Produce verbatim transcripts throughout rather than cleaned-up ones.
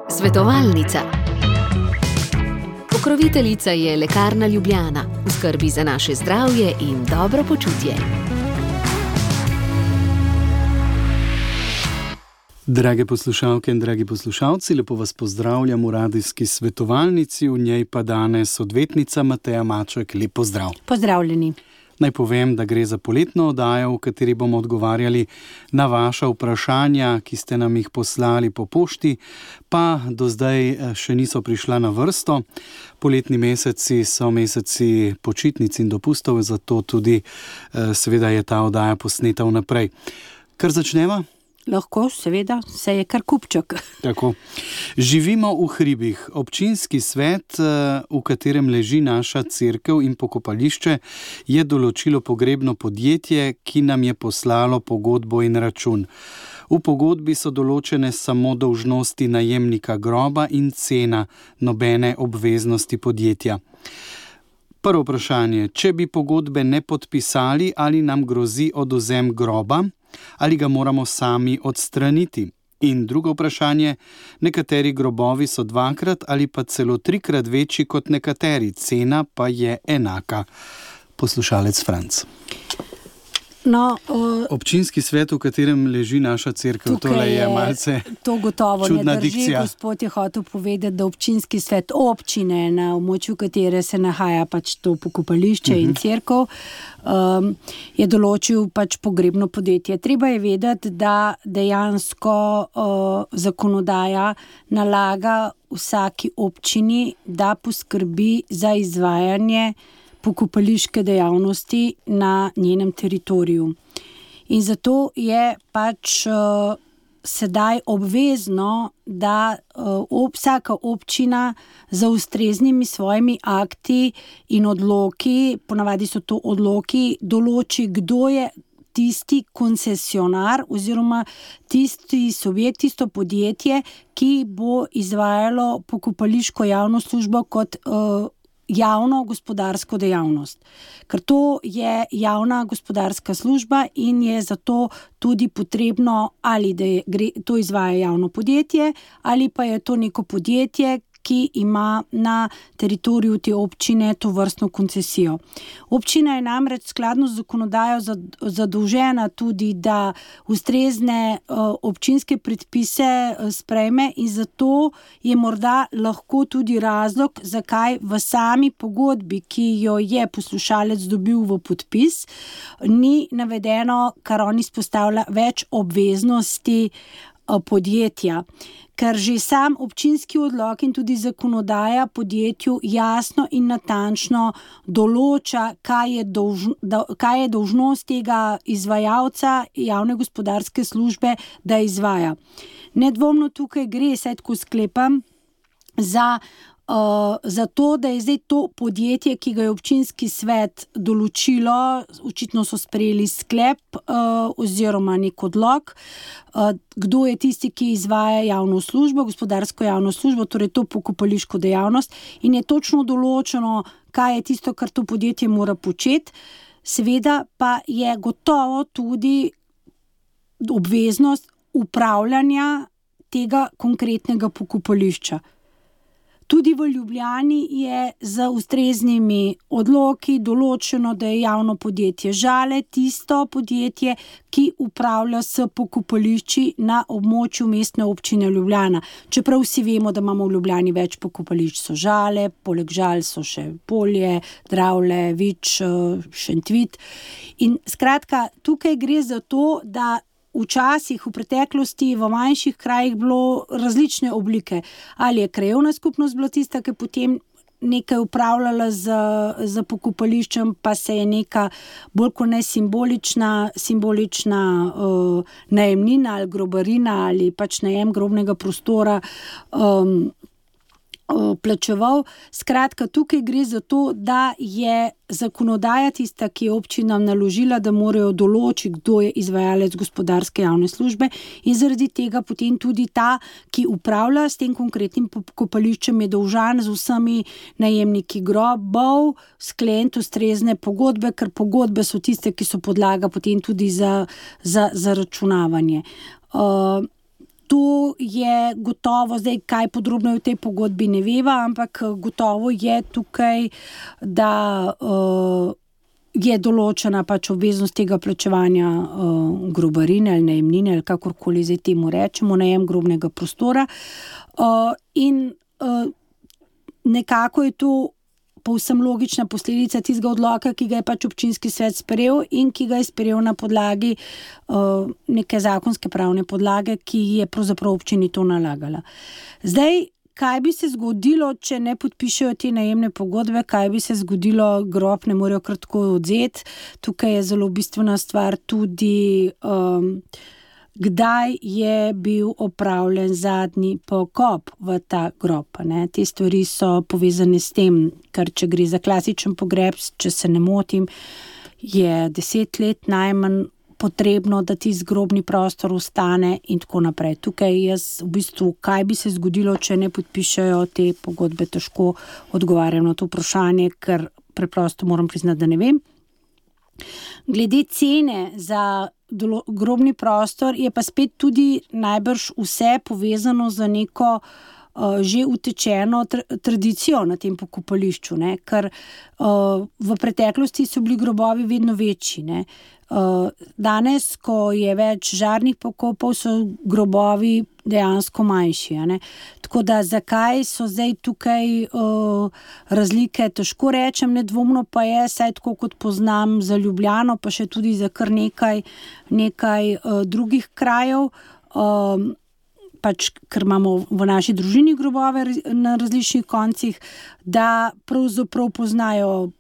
Svetovalnica. Pokroviteljica je Lekarna Ljubljana, v skrbi za naše zdravje in dobro počutje. Drage poslušalke in dragi poslušalci, lepo vas pozdravljam v radijski svetovalnici, v njej pa danes odvetnica Mateja Maček. Lep pozdrav. Pozdravljeni. Naj povem, da gre za poletno oddajo, v kateri bomo odgovarjali na vaša vprašanja, ki ste nam jih poslali po pošti, pa do zdaj še niso prišla na vrsto. Poletni meseci so meseci počitnic in dopustov, zato tudi seveda je ta oddaja posneta vnaprej. Kar začneva? Lahko, seveda, se je kar kupček. Tako. Živimo v hribih. Občinski svet, v katerem leži naša cerkev in pokopališče, je določilo pogrebno podjetje, ki nam je poslalo pogodbo in račun. V pogodbi so določene samo dolžnosti najemnika groba in cena, nobene obveznosti podjetja. Prvo vprašanje, če bi pogodbe ne podpisali, ali nam grozi odvzem groba, ali ga moramo sami odstraniti? In drugo vprašanje, nekateri grobovi so dvakrat ali pa celo trikrat večji kot nekateri, cena pa je enaka. Poslušalec Franc. No, uh, Občinski svet, v katerem leži naša cerkev, tole je, je malce to gotovo čudna ne drži. Dikcija. Gospod je hotel povedati, da občinski svet občine, na območju katere se nahaja pač to pokopališče uh-huh. in cerkev, um, je določil pač pogrebno podjetje. Treba je vedeti, da dejansko uh, zakonodaja nalaga vsaki občini, da poskrbi za izvajanje pokopališke dejavnosti na njenem teritoriju. In zato je pač uh, sedaj obvezno, da uh, ob, vsaka občina za ustreznimi svojimi akti in odloki, ponavadi so to odloki, določi, kdo je tisti koncesionar oziroma tisti subjekt, tisto podjetje, ki bo izvajalo pokopališko javno službo kot uh, javno gospodarsko dejavnost. Ker to je javna gospodarska služba in je zato tudi potrebno, ali da je, gre, to izvaja javno podjetje, ali pa je to neko podjetje, ki ima na teritoriju te občine to vrstno koncesijo. Občina je namreč skladno z zakonodajo zadolžena tudi, da ustrezne uh, občinske predpise uh, sprejme in zato je morda lahko tudi razlog, zakaj v sami pogodbi, ki jo je poslušalec dobil v podpis, ni navedeno, kar on izpostavlja, več obveznosti uh, podjetja. Ker že sam občinski odlok in tudi zakonodaja podjetju jasno in natančno določa, kaj je, dolž, da, kaj je dolžnost tega izvajalca javne gospodarske službe, da izvaja. Nedvomno tukaj gre, saj tako sklepam, za, uh, za to, da je zdaj to podjetje, ki ga je občinski svet določilo, očitno so sprejeli sklep uh, oziroma nek odlok, uh, kdo je tisti, ki izvaja javno službo, gospodarsko javno službo, torej to pokopališko dejavnost, in je točno določeno, kaj je tisto, kar to podjetje mora početi. Seveda pa je gotovo tudi obveznost upravljanja tega konkretnega pokopališča. Tudi v Ljubljani je z ustreznimi odloki določeno, da je javno podjetje Žale tisto podjetje, ki upravlja s pokopališči na območju mestne občine Ljubljana. Čeprav vsi vemo, da imamo v Ljubljani več pokopališč, so Žale, poleg Žal so še Polje, Dravlje, Vič, Šentvid. In skratka, tukaj gre za to, da včasih v preteklosti v manjših krajih bilo različne oblike. Ali je krajevna skupnost bila tista, ki potem nekaj upravljala z, z pokopališčem, pa se je neka bolj kot ne simbolična, simbolična uh, najemnina ali grobarina ali pač najem grobnega prostora um, plačeval. Skratka, tukaj gre za to, da je zakonodaja tista, ki je občinam naložila, da morajo določiti, kdo je izvajalec gospodarske javne službe, in zaradi tega potem tudi ta, ki upravlja s tem konkretnim pokopališčem, je dolžan z vsemi najemniki grobov skleniti ustrezne pogodbe, ker pogodbe so tiste, ki so podlaga potem tudi za, za, za računavanje. Uh, To je gotovo, zdaj kaj podrobno v tej pogodbi ne veva, ampak gotovo je tukaj, da uh, je določena pač obveznost tega plačevanja uh, grobarine ali najemnine ali kakorkoli zdaj temu rečemo, najem grobnega prostora. Uh, in uh, nekako je to povsem logična posledica tistega odloka, ki ga je pač občinski svet sprejel in ki ga je sprejel na podlagi uh, neke zakonske pravne podlage, ki je pravzaprav občini to nalagala. Zdaj, kaj bi se zgodilo, če ne podpišejo te najemne pogodbe, kaj bi se zgodilo, grob ne morejo kar tako odzeti. Tukaj je zelo bistvena stvar tudi, um, kdaj je bil opravljen zadnji pokop v ta grob. Ne? Te stvari so povezane s tem, ker če gre za klasičen pogreb, če se ne motim, je deset let najmanj potrebno, da ti zgrobni prostor ostane in tako naprej. Tukaj jaz v bistvu, kaj bi se zgodilo, če ne podpišejo te pogodbe, težko odgovarjam na to vprašanje, ker preprosto moram priznati, da ne vem. Glede cene za grobni prostor je pa spet tudi najbrž vse povezano z neko uh, že utečeno tra- tradicijo na tem pokopališču, ne? Ker uh, v preteklosti so bili grobovi vedno večji, ne? Uh, danes, ko je več žarnih pokopov, so grobovi dejansko manjši. Ne? Tako da zakaj so zdaj tukaj uh, razlike, težko rečem, nedvomno pa je, saj tako kot poznam za Ljubljano, pa še tudi za kar nekaj, nekaj uh, drugih krajev, uh, pač, ker imamo v naši družini grobove na različnih koncih, da pravzaprav poznajo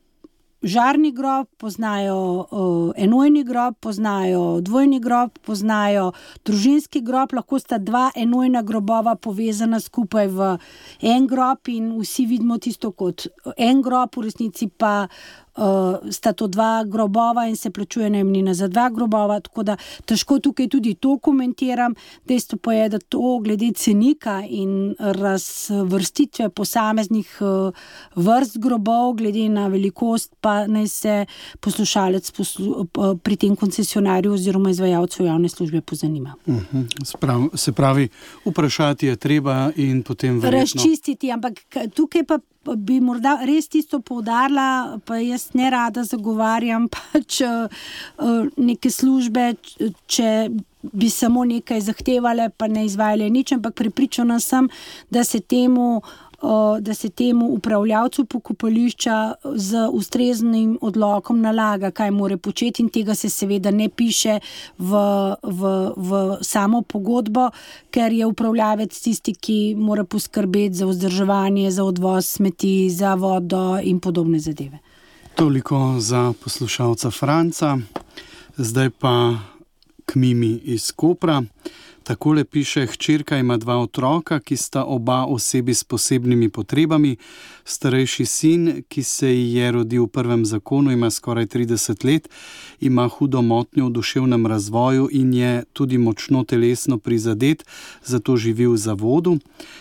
žarni grob, poznajo uh, enojni grob, poznajo dvojni grob, poznajo družinski grob, lahko sta dva enojna grobova povezana skupaj v en grob in vsi vidimo tisto kot en grob, v resnici pa uh, sta to dva grobova in se plačuje najemnina za dva grobova, tako da težko tukaj tudi to komentiram. Dejstvo pa je, da to glede cenika in razvrstitve posameznih uh, vrst grobov, glede na velikost, pa naj se poslušalec poslu, pri tem koncesionarju oziroma izvajalcu javne službe pozanima. Uh-huh. Sprav, se pravi, vprašati je treba in potem verjetno razčistiti, ampak tukaj pa bi morda res tisto poudarila, pa jaz ne rada zagovarjam pač neke službe, če bi samo nekaj zahtevale, pa ne izvajale nič, ampak prepričana sem, da se temu da se temu upravljavcu pokopališča z ustreznim odlokom nalaga, kaj more početi, in tega se seveda ne piše v, v, v samo pogodbo, ker je upravljavec tisti, ki mora poskrbeti za vzdrževanje, za odvoz smeti, za vodo in podobne zadeve. Toliko za poslušalca Franca. Zdaj pa k Mimi iz Kopra. Takole piše: hčerka ima dva otroka, ki sta oba osebi s posebnimi potrebami. Starejši sin, ki se ji je rodil v prvem zakonu, ima skoraj trideset let, ima hudo motnjo v duševnem razvoju in je tudi močno telesno prizadet, zato živi v zavodu.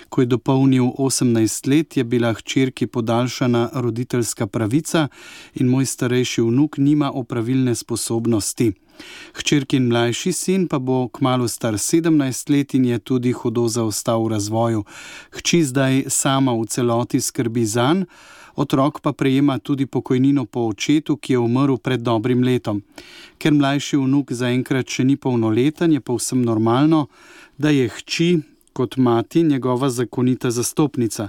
Ko je dopolnil osemnajst let, je bila hčerki podaljšana roditeljska pravica in moj starejši vnuk nima opravilne sposobnosti. Hčerkin mlajši sin pa bo kmalu star sedemnajst let in je tudi hudo zaostal v razvoju. Hči zdaj sama v celoti skrbi zanj, otrok pa prejema tudi pokojnino po očetu, ki je umrl pred dobrim letom. Ker mlajši vnuk zaenkrat še ni polnoleten, je povsem normalno, da je hči kot mati njegova zakonita zastopnica.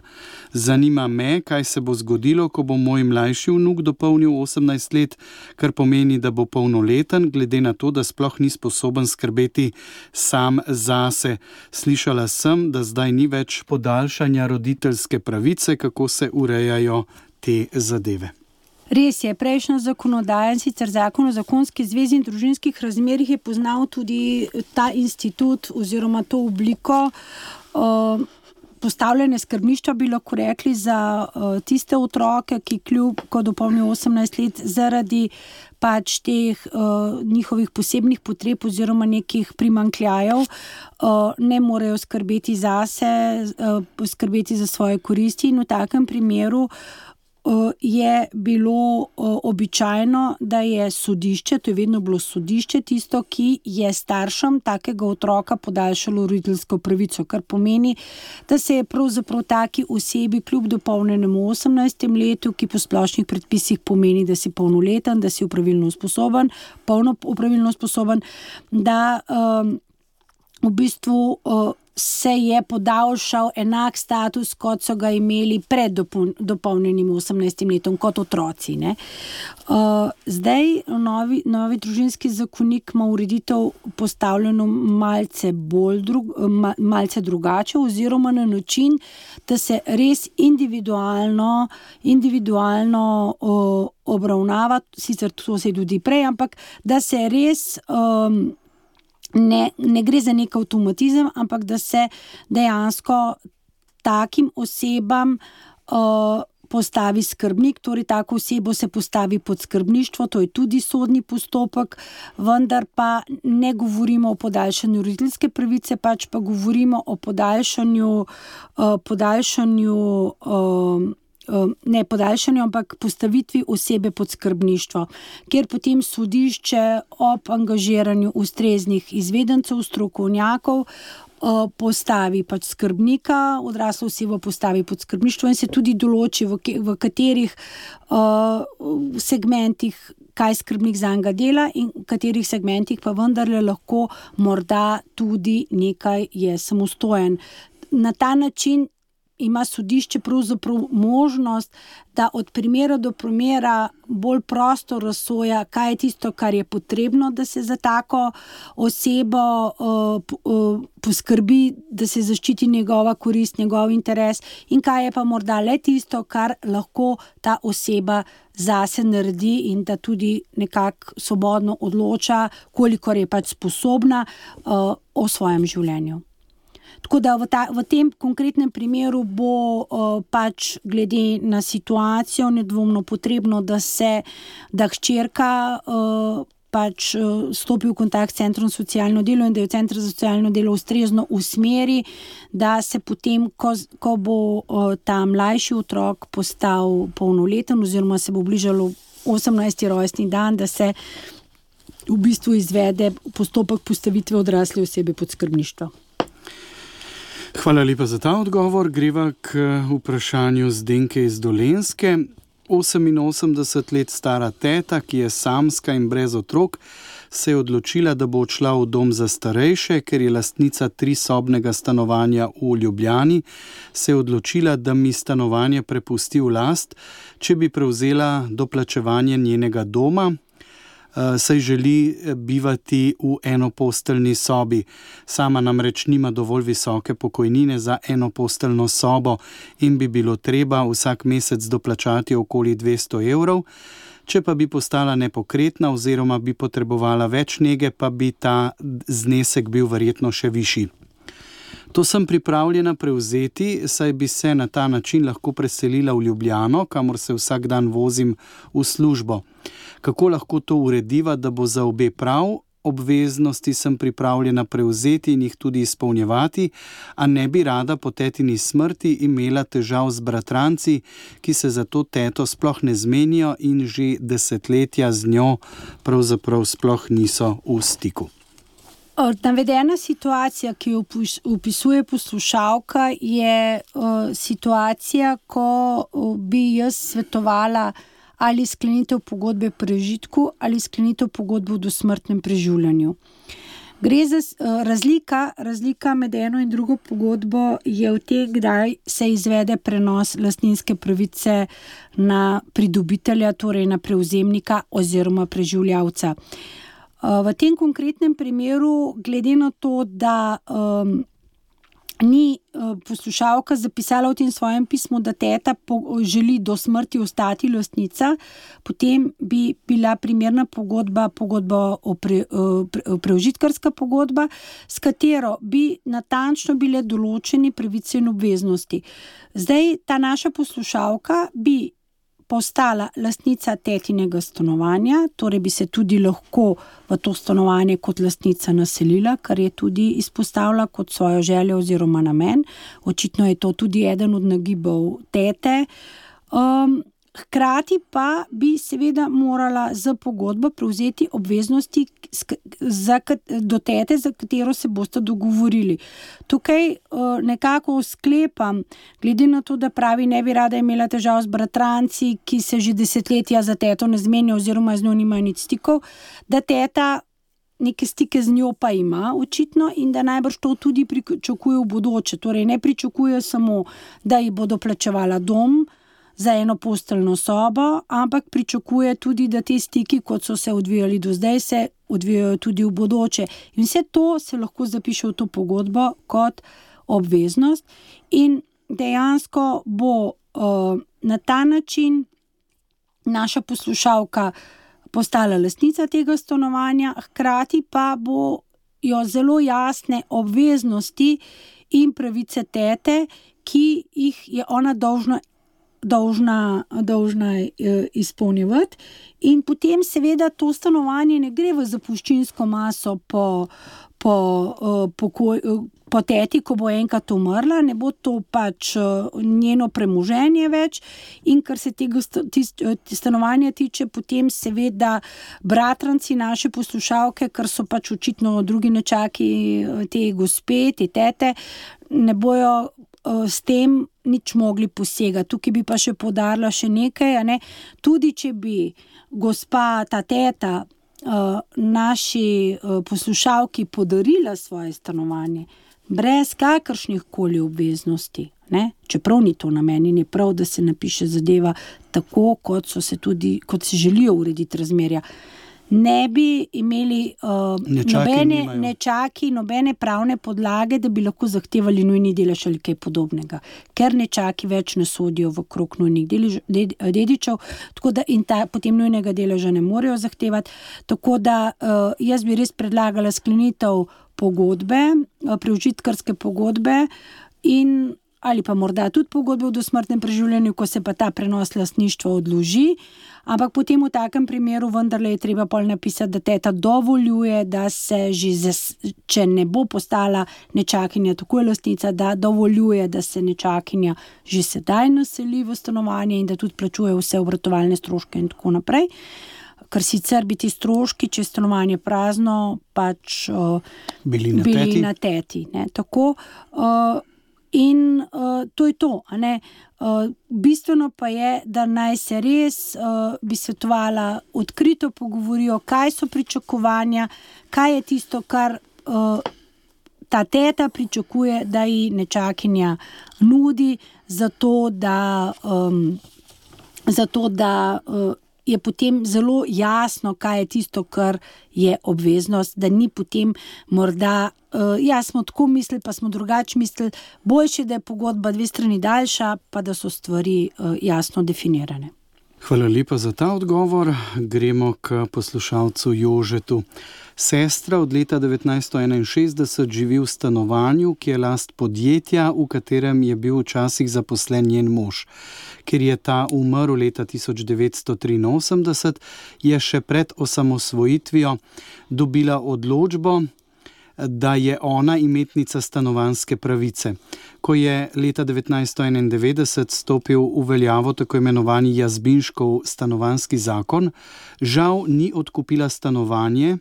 Zanima me, kaj se bo zgodilo, ko bo moj mlajši vnuk dopolnil osemnajst let, kar pomeni, da bo polnoleten, glede na to, da sploh ni sposoben skrbeti sam zase. Slišala sem, da zdaj ni več podaljšanja roditeljske pravice, kako se urejajo te zadeve. Res je, prejšnja zakonodaja, sicer zakon o zakonski zvezi in družinskih razmerjih, je poznal tudi ta institut oziroma to obliko uh, postavljene skrbništva, bi lahko rekli, za uh, tiste otroke, ki kljub, ko dopolnijo osemnajst let, zaradi pač teh uh, njihovih posebnih potreb oziroma nekih primanjkljajev uh, ne morejo skrbeti zase, uh, skrbeti za svoje koristi, in v takem primeru je bilo običajno, da je sodišče, to je vedno bilo sodišče, tisto, ki je staršem takega otroka podaljšalo roditeljsko pravico, kar pomeni, da se je pravzaprav taki osebi kljub dopolnjenemu osemnajstem letu, ki po splošnih predpisih pomeni, da si polnoleten, da si opravilno sposoben, polno opravilno sposoben, da um, v bistvu uh, se je podaljšal enak status, kot so ga imeli pred dopolnjenim osemnajstim letom, kot otroci. Ne? Uh, zdaj novi, novi družinski zakonik ima ureditev postavljeno malce, bolj drug, malce drugače, oziroma na način, da se res individualno, individualno uh, obravnava, sicer to se je tudi prej, ampak da se res um, Ne, ne gre za nek avtomatizem, ampak da se dejansko takim osebam uh, postavi skrbnik, torej tako osebo se postavi pod skrbništvo, to je tudi sodni postopek, vendar pa ne govorimo o podaljšanju roditeljske pravice, pač pa govorimo o podaljšanju, uh, podaljšanju uh, ne podaljšanju, ampak postavitvi osebe pod skrbništvo, kjer potem sodišče ob angažiranju ustreznih izvedencev, strokovnjakov postavi pač skrbnika, odraslo osebo postavi pod skrbništvo in se tudi določi, v, v katerih uh, segmentih kaj skrbnik zanj dela in v katerih segmentih pa vendarle lahko morda tudi nekaj je samostojen. Na ta način ima sodišče pravzaprav možnost, da od primera do primera bolj prosto razsoja, kaj je tisto, kar je potrebno, da se za tako osebo uh, uh, poskrbi, da se zaščiti njegova korist, njegov interes in kaj je pa morda le tisto, kar lahko ta oseba zase naredi in da tudi nekako svobodno odloča, kolikor je pač sposobna uh, o svojem življenju. Tako da v, ta, v tem konkretnem primeru bo uh, pač glede na situacijo nedvomno potrebno, da se, da hčerka uh, pač uh, stopi v kontakt s centrom za socialno delo in da jo center za socialno delo ustrezno usmeri, da se potem, ko, ko bo uh, ta mlajši otrok postal polnoleten oziroma se bo bližalo osemnajsti rojstni dan, da se v bistvu izvede postopek postavitve odrasle osebe pod skrbništvo. Hvala lepa za ta odgovor. Greva k vprašanju Zdenke iz Dolenjske. oseminosemdeset let stara teta, ki je samska in brez otrok, se je odločila, da bo odšla v dom za starejše, ker je lastnica trisobnega stanovanja v Ljubljani, se je odločila, da mi stanovanje prepusti v last, če bi prevzela doplačevanje njenega doma, saj želi bivati v enoposteljni sobi. Sama namreč nima dovolj visoke pokojnine za enoposteljno sobo in bi bilo treba vsak mesec doplačati okoli dvesto evrov. Če pa bi postala nepokretna oziroma bi potrebovala več nege, pa bi ta znesek bil verjetno še višji. To sem pripravljena prevzeti, saj bi se na ta način lahko preselila v Ljubljano, kamor se vsak dan vozim v službo. Kako lahko to urediva, da bo za obe prav? Obveznosti sem pripravljena prevzeti in jih tudi izpolnjevati, a ne bi rada po tetini smrti imela težav z bratranci, ki se za to teto sploh ne zmenijo in že desetletja z njo pravzaprav sploh niso v stiku. Navedena situacija, ki jo opisuje poslušalka, je uh, situacija, ko uh, bi jaz svetovala ali sklenitev pogodbe prežitku ali sklenitev pogodbe v dosmrtnem preživljanju. Gre za uh, razlika, razlika med eno in drugo pogodbo je v tem, kdaj se izvede prenos lastninske pravice na pridobitelja, torej na prevzemnika oziroma preživljavca. V tem konkretnem primeru, glede na to, da um, ni uh, poslušalka zapisala v tem svojem pismu, da teta po, želi do smrti ostati lastnica, potem bi bila primerna pogodba, pogodba o pre, uh, pre, preužitkarska pogodba, s katero bi natančno bile določeni pravice in obveznosti. Zdaj ta naša poslušalka bi postala lastnica tetinega stanovanja, torej bi se tudi lahko v to stanovanje kot lastnica naselila, kar je tudi izpostavila kot svojo željo oziroma namen. Očitno je to tudi eden od nagibov tete. Um, hkrati pa bi seveda morala z pogodbo prevzeti obveznosti za, do tete, za katero se boste dogovorili. Tukaj uh, nekako sklepam, glede na to, da pravi, ne bi rada imela težav z bratranci, ki se že desetletja za teto ne zmenijo oziroma z njo nimajo nič stikov, da teta neke stike z njo pa ima očitno in da najbrž to tudi pričakuje v bodoče. Torej ne pričakuje samo, da ji bodo plačevala dom za eno posteljno sobo, ampak pričakuje tudi, da te stiki, kot so se odvijali do zdaj, se odvijajo tudi v bodoče. In vse to se lahko zapiše v to pogodbo kot obveznost in dejansko bo uh, na ta način naša poslušalka postala lastnica tega stanovanja, hkrati pa bo jo zelo jasne obveznosti in pravice tete, ki jih je ona dolžna dolžna, dolžna izpolnjevati. In potem seveda to stanovanje ne gre v zapuščinsko maso po, po, po, po teti, ko bo enkrat umrla, ne bo to pač njeno premoženje več. In kar se tega stanovanja tiče, potem seveda bratranci naše poslušalke, ker so pač očitno drugi nečaki te gospe, te tete, ne bojo s tem nič mogli posegati. Tukaj bi pa še poudarila še nekaj, a ne? Tudi če bi gospa, ta teta, naši poslušalki podarila svoje stanovanje brez kakršnih koli obveznosti, ne? Čeprav ni to namen in je prav, da se napiše zadeva tako, kot so se tudi, kot se želijo urediti razmerja. Ne bi imeli uh, nobene nečaki, nobene pravne podlage, da bi lahko zahtevali nujni delež ali kaj podobnega, ker nečaki več ne sodijo v krog nujnih delež, ded, dedičev, tako da in ta, potem nujnega deleža ne morejo zahtevati. Tako da uh, jaz bi res predlagala sklenitev pogodbe, uh, preužitkarske pogodbe in ali pa morda tudi pogodbe v dosmrtnem preživljanju, ko se pa ta prenos lastništva odloži, ampak potem v takem primeru vendarle je treba pol napisati, da teta dovoljuje, da se že, zas, če ne bo postala nečakinja takoj lastnica, da dovoljuje, da se nečakinja že sedaj naseli v stanovanje in da tudi plačuje vse obratovalne stroške in tako naprej. Ker sicer bi ti stroški, če je stanovanje prazno, pač uh, bili na bili teti. Na teti ne? Tako, uh, in uh, to je to, a ne? Uh, bistveno pa je, da naj se res uh, bi svetovala odkrito pogovorijo, kaj so pričakovanja, kaj je tisto, kar uh, ta teta pričakuje, da ji nečakinja nudi, zato da, um, zato da uh, je potem zelo jasno, kaj je tisto, kar je obveznost, da ni potem morda, uh, ja, smo tako mislili, pa smo drugače mislili, boljše, da je pogodba dve strani daljša, pa da so stvari uh, jasno definirane. Hvala lepa za ta odgovor. Gremo k poslušalcu Jožetu. Sestra od leta devetnajststo enainšestdeset živi v stanovanju, ki je last podjetja, v katerem je bil včasih zaposlen njen mož. Ker je ta umrl leta tisoč devetsto triinosemdeset, je še pred osamosvojitvijo dobila odločbo, da je ona imetnica stanovanjske pravice. Ko je leta devetnajststo enaindevetdeset stopil v veljavo tako imenovani Jazbinškov stanovanjski zakon, žal ni odkupila stanovanje,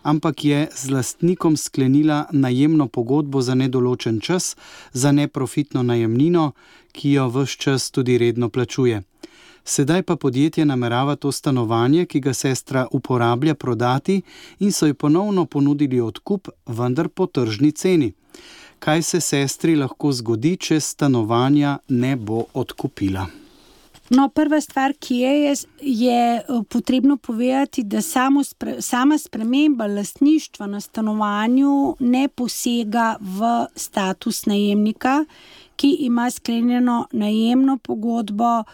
ampak je z lastnikom sklenila najemno pogodbo za nedoločen čas, za neprofitno najemnino, ki jo ves čas tudi redno plačuje. Sedaj pa podjetje namerava to stanovanje, ki ga sestra uporablja, prodati in so ji ponovno ponudili odkup, vendar po tržni ceni. Kaj se sestri lahko zgodi, če stanovanja ne bo odkupila? No, prva stvar, ki je, je, je potrebno povedati, da samo spre, sama sprememba lastništva na stanovanju ne posega v status najemnika, ki ima sklenjeno najemno pogodbo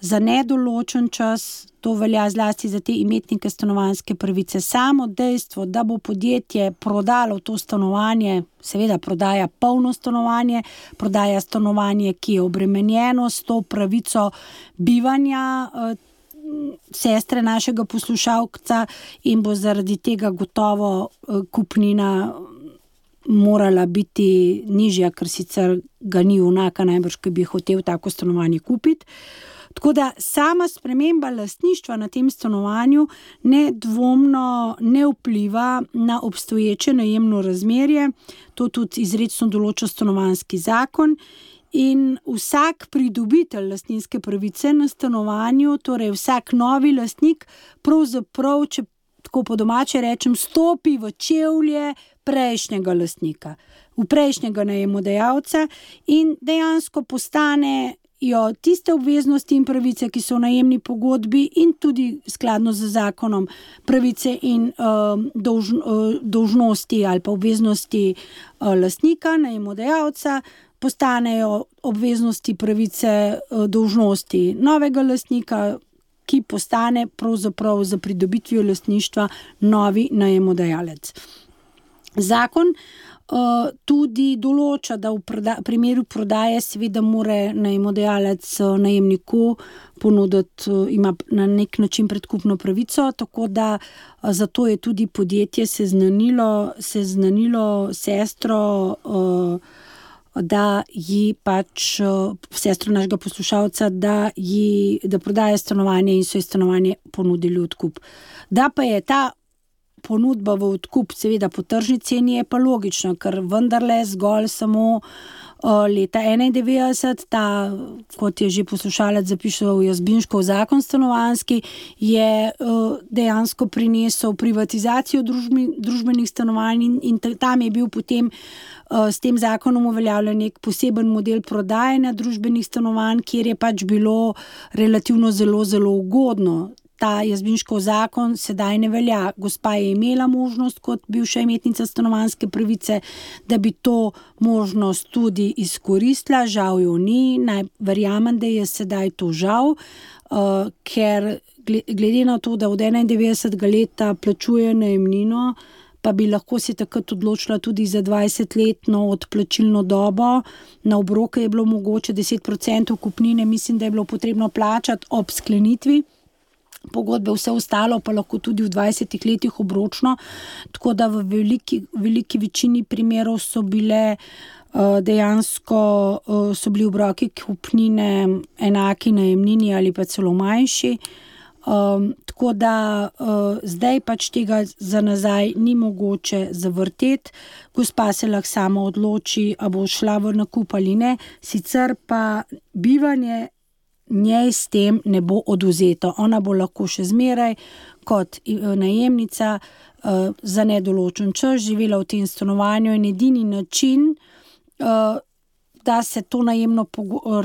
za nedoločen čas. To velja zlasti za te imetnike stanovanjske pravice. Samo dejstvo, da bo podjetje prodalo to stanovanje, seveda prodaja polno stanovanje, prodaja stanovanje, ki je obremenjeno s to pravico bivanja eh, sestre našega poslušalca in bo zaradi tega gotovo eh, kupnina morala biti nižja, ker sicer ga ni vnaka najbrž, ki bi hotel tako stanovanje kupiti. Tako da sama sprememba lastništva na tem stanovanju nedvomno ne vpliva na obstoječe najemno razmerje, to tudi izrecno določa stanovanjski zakon. In vsak pridobitelj lastninske pravice na stanovanju, torej vsak novi lastnik, pravzaprav, če tako po domače rečem, stopi v čevlje prejšnjega lastnika, v prejšnjega najemodajalca in dejansko postanejo tiste obveznosti in pravice, ki so v najemni pogodbi in tudi skladno z zakonom pravice in uh, dolž, uh, dolžnosti ali pa obveznosti uh, lastnika, najemodajalca, postanejo obveznosti, pravice, dolžnosti novega lastnika, ki postane pravzaprav za pridobitvijo lastništva novi najemodajalec. Zakon uh, tudi določa, da v proda- primeru prodaje seveda mora najemodajalec najemniku ponuditi, uh, ima na nek način predkupno pravico, tako da uh, zato je tudi podjetje seznanilo, seznanilo sestro uh, da ji pač sestro našega poslušalca, da ji da prodaje stanovanje in so ji stanovanje ponudili v odkup. Da pa je ta ponudba v odkup seveda po tržni ceni, je pa logično, ker vendarle zgolj samo leta enaindevetdeset, ta, kot je že poslušalec zapisal, Jazbinškov zakon stanovanjski, je dejansko prinesel privatizacijo družbi, družbenih stanovanj in, in tam je bil potem s tem zakonom uveljavljen nek poseben model prodajanja družbenih stanovanj, kjer je pač bilo relativno zelo, zelo ugodno. Ta Jazbinškov zakon sedaj ne velja. Gospa je imela možnost kot bivša imetnica stanovanjske pravice, da bi to možnost tudi izkoristila, žal jo ni. Naj verjamem, da je sedaj to žal, uh, ker glede na to, da od enaindevetdesetega leta plačuje najemnino, pa bi lahko se takrat odločila tudi za dvajsetletno odplačilno dobo. Na obroke je bilo mogoče deset procentov kupnine, mislim, da je bilo potrebno plačati ob sklenitvi pogodbe, vse ostalo pa lahko tudi v dvajsetih letih obročno, tako da v veliki, veliki večini primerov so bile uh, dejansko uh, so bili obroki kupnine enaki najemnini ali pa celo manjši. Um, tako da uh, zdaj pač tega za nazaj ni mogoče zavrteti. Gospa se lahko sama odloči, a bo šla v nakup ali ne, sicer pa bivanje njej s tem ne bo oduzeto. Ona bo lahko še zmeraj kot najemnica uh, za nedoločen čas živela v tem stanovanju in edini način, uh, da se to najemno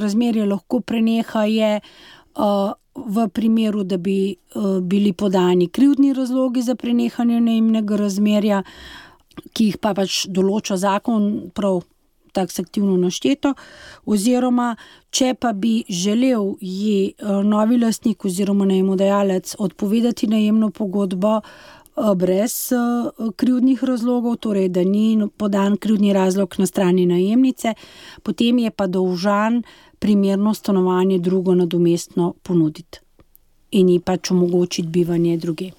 razmerje lahko preneha, je uh, v primeru, da bi uh, bili podani krivdni razlogi za prenehanje najemnega razmerja, ki jih pa pač določa zakon prav taksativno našteto, oziroma če pa bi želel ji uh, novi lastnik oziroma najemodajalec odpovedati najemno pogodbo uh, brez uh, krivdnih razlogov, torej da ni podan krivdni razlog na strani najemnice, potem je pa dolžan primerno stanovanje drugo nadomestno ponuditi in ji pač omogočiti bivanje druge.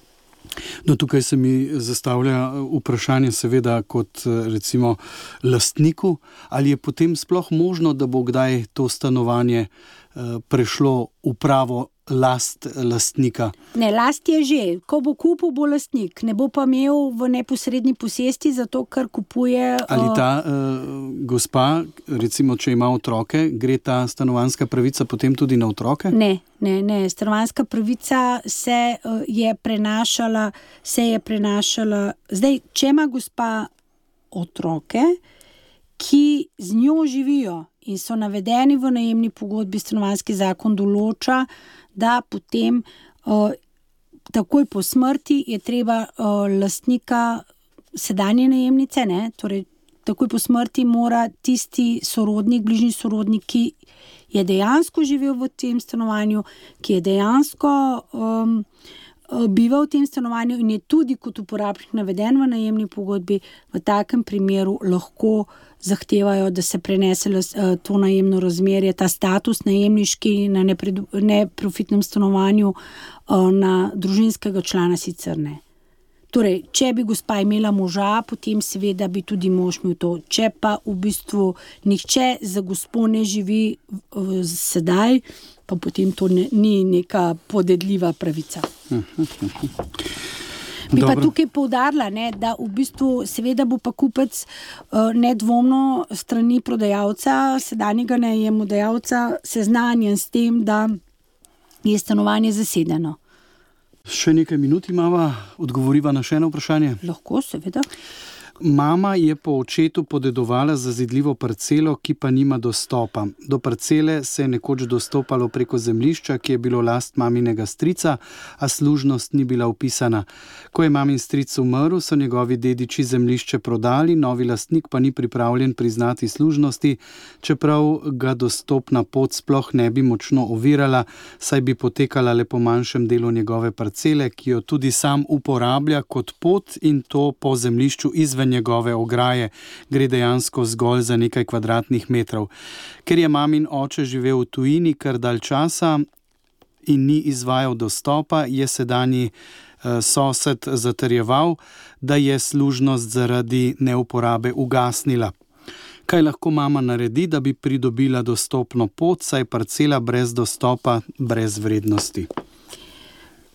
No, tukaj se mi zastavlja vprašanje seveda kot recimo lastniku, ali je potem sploh možno, da bo kdaj to stanovanje uh, prešlo v pravo last lastnika? Ne, last je že. Ko bo kupil, bo lastnik. Ne bo pa imel v neposredni posesti, zato ker kupuje... Ali ta uh, gospa, recimo, če ima otroke, gre ta stanovanjska pravica potem tudi na otroke? Ne, ne, ne. Stanovanjska pravica se uh, je prenašala, se je prenašala... Zdaj, če ima gospa otroke, ki z njo živijo in so navedeni v najemni pogodbi, stanovanjski zakon določa, da potem uh, takoj po smrti je treba uh, lastnika sedanje najemnice, ne, torej takoj po smrti mora tisti sorodnik, bližnji sorodnik, ki je dejansko živel v tem stanovanju, ki je dejansko um, bival v tem stanovanju in je tudi kot uporabnik naveden v najemni pogodbi, v takem primeru lahko zahtevajo, da se prenese to najemno razmerje, ta status najemniški na neprofitnem stanovanju na družinskega člana sicer ne. Torej, če bi gospa imela moža, potem seveda bi tudi mož imel to. Če pa v bistvu nihče za gospo ne živi uh, sedaj, pa potem to ne, ni neka podedljiva pravica. Bi pa tukaj poudarila, ne, da v bistvu seveda bo pa kupec uh, nedvomno strani prodajalca, sedanjega najemodajalca seznanjen s tem, da je stanovanje zasedeno. Še nekaj minut imava, odgovoriva na še eno vprašanje. Lahko, seveda. Mama je po očetu podedovala zazidljivo parcelo, ki pa nima dostopa. Do parcele se je nekoč dostopalo preko zemljišča, ki je bilo last maminega strica, a služnost ni bila vpisana. Ko je mamin stric umrl, so njegovi dediči zemljišče prodali, novi lastnik pa ni pripravljen priznati služnosti, čeprav ga dostopna pot sploh ne bi močno ovirala, saj bi potekala le po manjšem delu njegove parcele, ki jo tudi sam uporablja kot pot, in to po zemljišču izven njegove ograje, gre dejansko zgolj za nekaj kvadratnih metrov. Ker je mamin oče živel v tujini kar dalj časa in ni izvajal dostopa, je sedanji eh, sosed zatrjeval, da je služnost zaradi neuporabe ugasnila. Kaj lahko mama naredi, da bi pridobila dostopno pot, saj parcela brez dostopa brez vrednosti?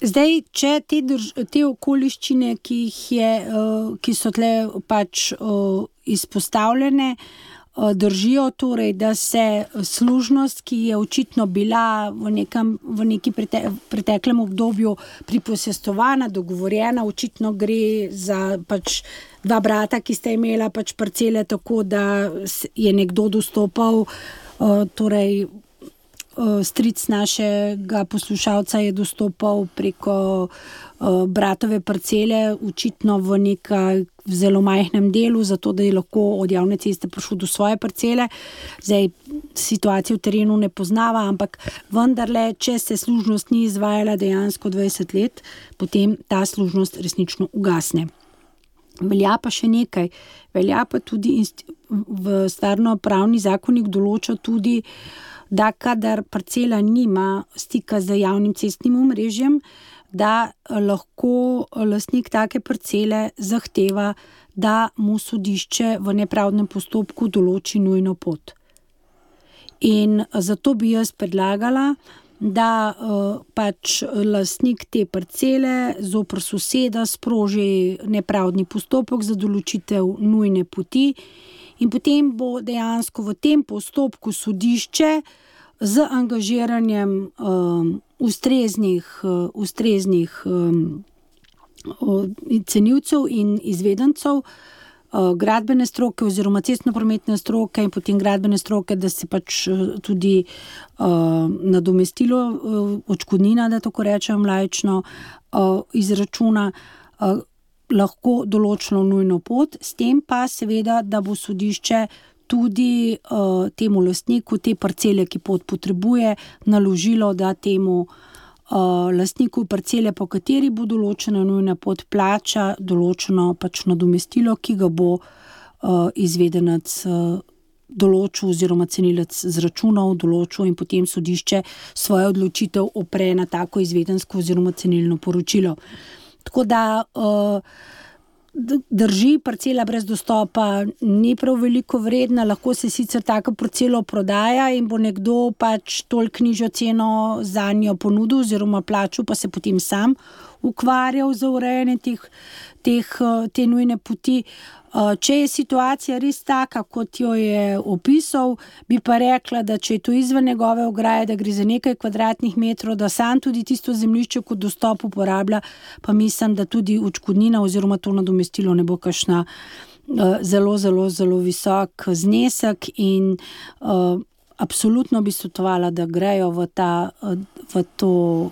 Zdaj, če te, drž, te okoliščine, ki, jih je, uh, ki so tle pač uh, izpostavljene, uh, držijo, torej, da se služnost, ki je očitno bila v, nekam, v neki prete, preteklem obdobju priposestovana, dogovorjena, očitno gre za pač dva brata, ki sta imela pač parcele tako, da je nekdo dostopal, uh, torej stric našega poslušalca je dostopal preko uh, bratove parcele, očitno v nekaj v zelo majhnem delu, zato da je lahko od javne ceste prišel do svoje parcele. Zdaj, situacijo v terenu ne poznava, ampak vendarle, če se služnost ni izvajala dejansko dvajset let, potem ta služnost resnično ugasne. Velja pa še nekaj, velja pa tudi inst- v stvarnopravni zakonik določa tudi, da kadar parcela nima stika z javnim cestnim omrežjem, da lahko lastnik take parcele zahteva, da mu sodišče v nepravdnem postopku določi nujno pot. In zato bi jaz predlagala, da pač lastnik te parcele zoper soseda sproži nepravdni postopek za določitev nujne poti in potem bo dejansko v tem postopku sodišče z angažiranjem um, ustreznih, uh, ustreznih um, cenilcev in izvedencev uh, gradbene stroke oziroma cestno-prometne stroke in potem gradbene stroke, da se pač uh, tudi uh, nadomestilo uh, odškodnina, da tako rečem laično, uh, izračuna uh, lahko določeno nujno pot, s tem pa seveda, da bo sodišče tudi uh, temu lastniku te parcele, ki pot potrebuje, naložilo, da temu uh, lastniku parcele, po kateri bo določena nujna pot, plača določeno pač nadomestilo, ki ga bo uh, izvedenec uh, določil oziroma cenilec zračunal, določil in potem sodišče svojo odločitev opre na tako izvedensko oziroma cenilno poročilo. Tako da uh, drži, parcela brez dostopa ni prav veliko vredna, lahko se sicer tako parcelo prodaja in bo nekdo pač toliko nižjo ceno za njo ponudil oziroma plačal, pa se potem sam ukvarjal za urejanje teh, teh, te nujne poti. Če je situacija res taka, kot jo je opisal, bi pa rekla, da če je to izven njegove ograje, da gre za nekaj kvadratnih metrov, da sam tudi tisto zemljišče kot dostop uporablja, pa mislim, da tudi odškodnina oziroma to nadomestilo ne bo kakšna uh, zelo, zelo, zelo visok znesek in uh, absolutno bi svetovala, da grejo v, ta, v to,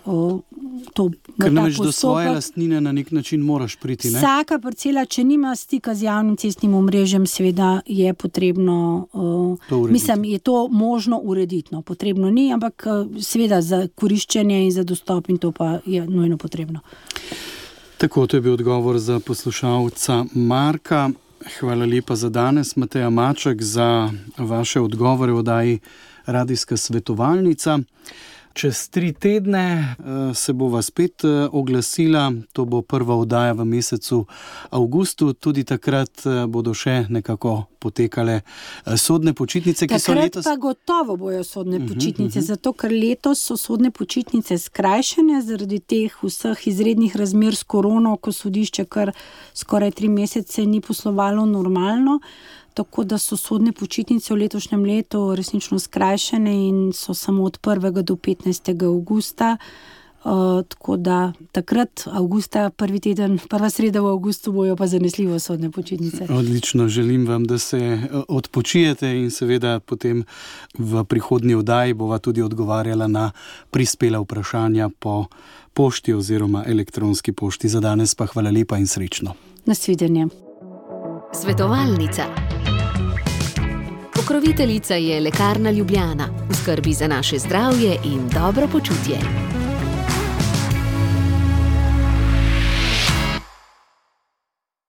to v Ker ta namreč do postopek. svoje lastnine na nek način moraš priti, ne? Vsaka parcela, če nima stika z javnim cestnim omrežjem, seveda je potrebno, uh, mislim, je to možno urediti. No. Potrebno ni, ampak uh, seveda za koriščenje in za dostop in to pa je nujno potrebno. Tako, to je bil odgovor za poslušalca Marka. Hvala lepa za danes, Mateja Maček, za vaše odgovore v oddaji Radijska svetovalnica. Čez tri tedne se bova spet oglasila, to bo prva oddaja v mesecu avgustu, tudi takrat bodo še nekako potekale sodne počitnice, ki so letos... Takrat pa gotovo bojo sodne počitnice, uh -huh, uh -huh. zato ker letos so sodne počitnice skrajšane zaradi teh vseh izrednih razmer s korono, ko sodišče kar skoraj tri mesece ni poslovalo normalno. Tako da so sodne počitnice v letošnjem letu resnično skrajšane in so samo od prvega do petnajstega avgusta. Uh, tako da takrat, avgusta, prvi teden, prva sreda v avgustu bojo pa zanesljivo sodne počitnice. Odlično, želim vam, da se odpočijete in seveda potem v prihodnji oddaji bova tudi odgovarjala na prispela vprašanja po pošti oziroma elektronski pošti. Za danes pa hvala lepa in srečno. Nasvidenje. Svetovalnica. Pokroviteljica je Lekarna Ljubljana, v skrbi za naše zdravje in dobro počutje.